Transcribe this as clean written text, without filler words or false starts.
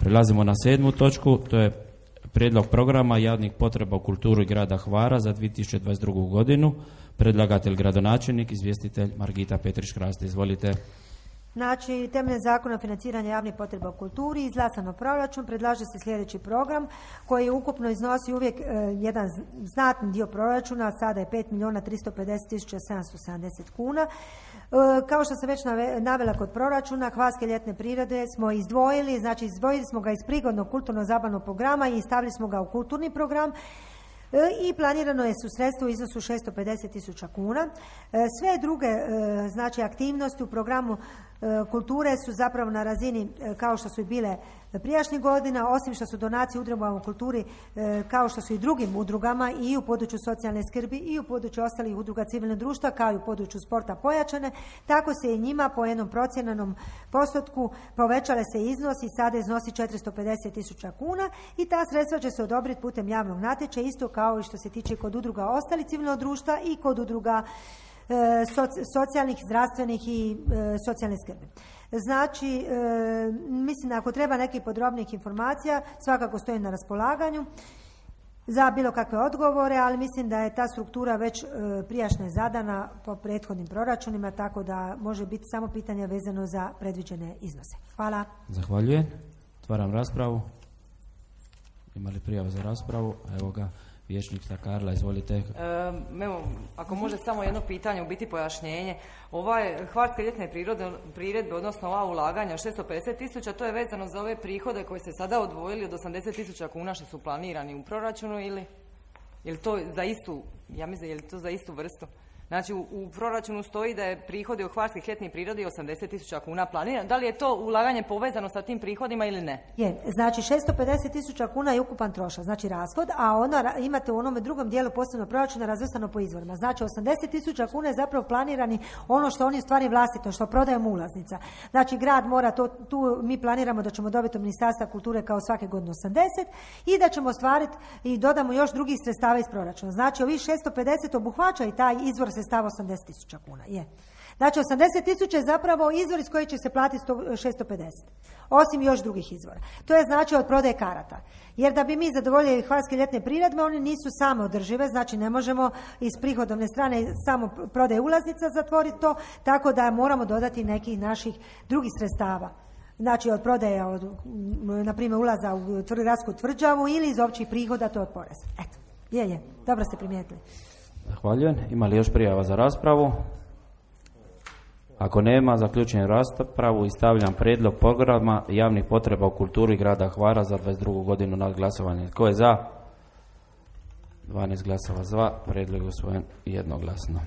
Prelazimo na 7. točku, to je prijedlog programa javnih potreba u kulturi grada Hvara za 2022. godinu. Predlagatelj gradonačelnik, izvjestitelj Margita Petrić-Kraste. Izvolite. Znači, temeljem zakona o financiranju javnih potreba u kulturi, izglasano proračun, predlaže se sljedeći program koji ukupno iznosi uvijek jedan znatni dio proračuna, sada je 5.350.770 kuna. Kao što sam već navela kod proračuna, Hvarske ljetne prirode smo izdvojili, znači izdvojili smo ga iz prigodnog kulturno-zabavnog programa i stavili smo ga u kulturni program. I planirano je su sredstvo u iznosu 650.000 kuna. Sve druge znači aktivnosti u programu kulture su zapravo na razini kao što su i bile prijašnjih godina, osim što su donacije udrugama u kulturi kao što su i drugim udrugama i u području socijalne skrbi i u području ostalih udruga civilnog društva kao i u području sporta pojačane, tako se i njima po jednom procjenanom postotku povećale se iznos i sada iznosi 450.000 kuna i ta sredstva će se odobriti putem javnog natječaja, isto kao i što se tiče kod udruga ostalih civilnog društva i kod udruga socijalnih, zdravstvenih i socijalne skrbi. Znači, mislim da ako treba nekih podrobnijih informacija, svakako stojim na raspolaganju za bilo kakve odgovore, ali mislim da je ta struktura već prijašnja zadana po prethodnim proračunima, tako da može biti samo pitanje vezano za predviđene iznose. Hvala. Zahvaljujem. Otvaram raspravu. Ima li prijava za raspravu? Evo ga. Vijećnica Karla, izvolite. Evo, ako može samo jedno pitanje, u biti pojašnjenje. Hvarske ljetne priredbe, odnosno ova ulaganja 650.000, to je vezano za ove prihode koje ste sada odvojili od 80.000 kuna što su planirani u proračunu ili je to za istu, ja mislim, je li to za istu vrstu? Znači, u proračunu stoji da je prihodi od Hvarskih ljetnih prirodi 80.000 kuna planirano. Da li je to ulaganje povezano sa tim prihodima ili ne? Je, znači 650.000 kuna je ukupan trošak, znači rashod, a ono imate u onome drugom dijelu posebnog proračuna razvrstano po izvorima. Znači 80.000 kuna je zapravo planirani ono što oni u stvari vlastito, što prodajemo ulaznica. Znači grad mora to, tu mi planiramo da ćemo dobiti od Ministarstva kulture kao svake godine 80 i da ćemo ostvariti i dodamo još drugih sredstava iz proračuna. Znači ovih 650 obuhvaća i taj izvor sredstava 80.000 kuna. Je. Znači 80.000 je zapravo izvor iz kojeg će se platiti 650. Osim još drugih izvora. To je znači od prodaje karata. Jer da bi mi zadovoljili Hvarske ljetne priredbe, one nisu same održive, znači ne možemo iz prihodovne strane samo prodaje ulaznica zatvoriti to, tako da moramo dodati nekih naših drugih sredstava. Znači od prodaje, na primjer ulaza u gradsku tvrđavu ili iz općih prihoda, to je od poreza. Eto, je, dobro ste primijetili. Zahvaljujem. Ima li još prijava za raspravu? Ako nema, zaključujem raspravu i stavljam prijedlog programa javnih potreba u kulturi grada Hvara za 22. godinu na glasovanje. Tko je za? 12 glasova za, prijedlog je usvojen jednoglasno.